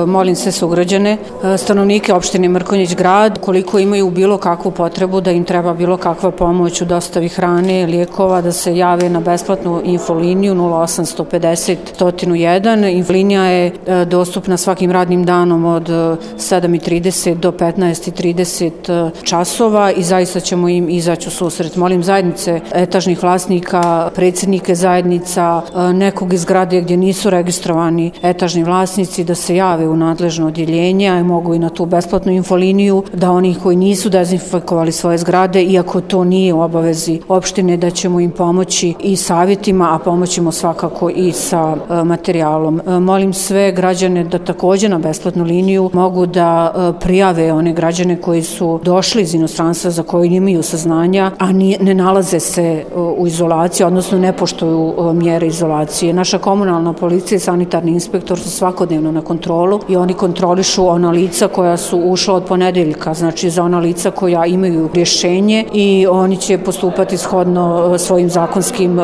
Molim sve sugrađane, stanovnike opštine Mrkonjić Grad, koliko imaju bilo kakvu potrebu da im treba bilo kakva pomoć u dostavi hrane, lijekova, da se jave na besplatnu infoliniju 0850 101. Infolinija je dostupna svakim radnim danom od 7:30 do 15:30 časova i zaista ćemo im izaći u susret. Molim zajednice etažnih vlasnika, predsjednike zajednica, nekog iz zgrade gdje nisu registrovani etažni vlasnici da se jave u nadležno odjeljenje, a mogu i na tu besplatnu infoliniju, da oni koji nisu dezinfikovali svoje zgrade, iako to nije u obavezi opštine, da ćemo im pomoći i savjetima, a pomoćemo svakako i sa materijalom. Molim sve građane da također na besplatnu liniju mogu da prijave one građane koji su došli iz inostranstva za koje imaju saznanja, a ne nalaze se u izolaciji, odnosno ne poštuju mjere izolacije. Naša komunalna policija i sanitarni inspektor su svakodnevno na kontrolu i oni kontrolišu ona lica koja su ušla od ponedeljka, znači za ona lica koja imaju rješenje i oni će postupati shodno svojim zakonskim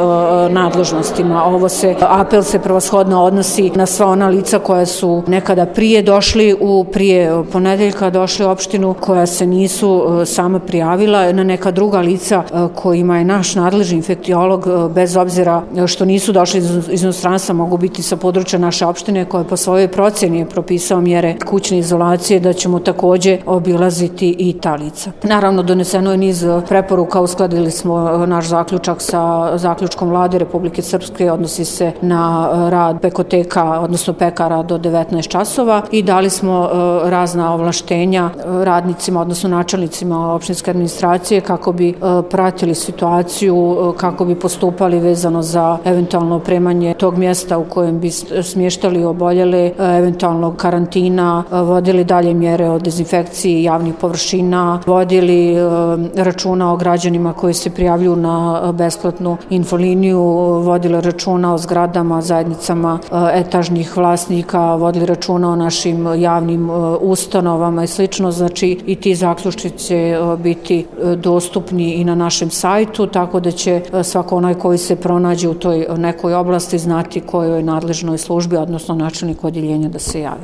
nadležnostima. Apel se prevashodno odnosi na sva ona lica koja su nekada prije ponedeljka došli u opštinu, koja se nisu sama prijavila, na neka druga lica kojima je naš nadležni infektiolog, bez obzira što nisu došli iz inostranstva, mogu biti sa područja naše opštine, koja po svojoj procjeni je propisao mjere kućne izolacije, da ćemo također obilaziti i ta lica. Naravno, doneseno je niz preporuka, uskladili smo naš zaključak sa zaključkom Vlade Republike Srpske, odnosi se na rad pekoteka, odnosno pekara do 19 časova i dali smo razna ovlaštenja radnicima, odnosno načelnicima opštinske administracije kako bi pratili situaciju, kako bi postupali vezano za eventualno opremanje tog mjesta u kojem bi smještali oboljele, eventualno karantina, vodili dalje mjere o dezinfekciji javnih površina, vodili računa o građanima koji se prijavljuju na besplatnu infoliniju, vodili računa o zgradama, zajednicama etažnih vlasnika, vodili računa o našim javnim ustanovama i slično. Znači i ti zaključci će biti dostupni i na našem sajtu, tako da će svako onaj koji se pronađe u toj nekoj oblasti znati kojoj nadležnoj službi, odnosno načelniku odjeljenja da se javi.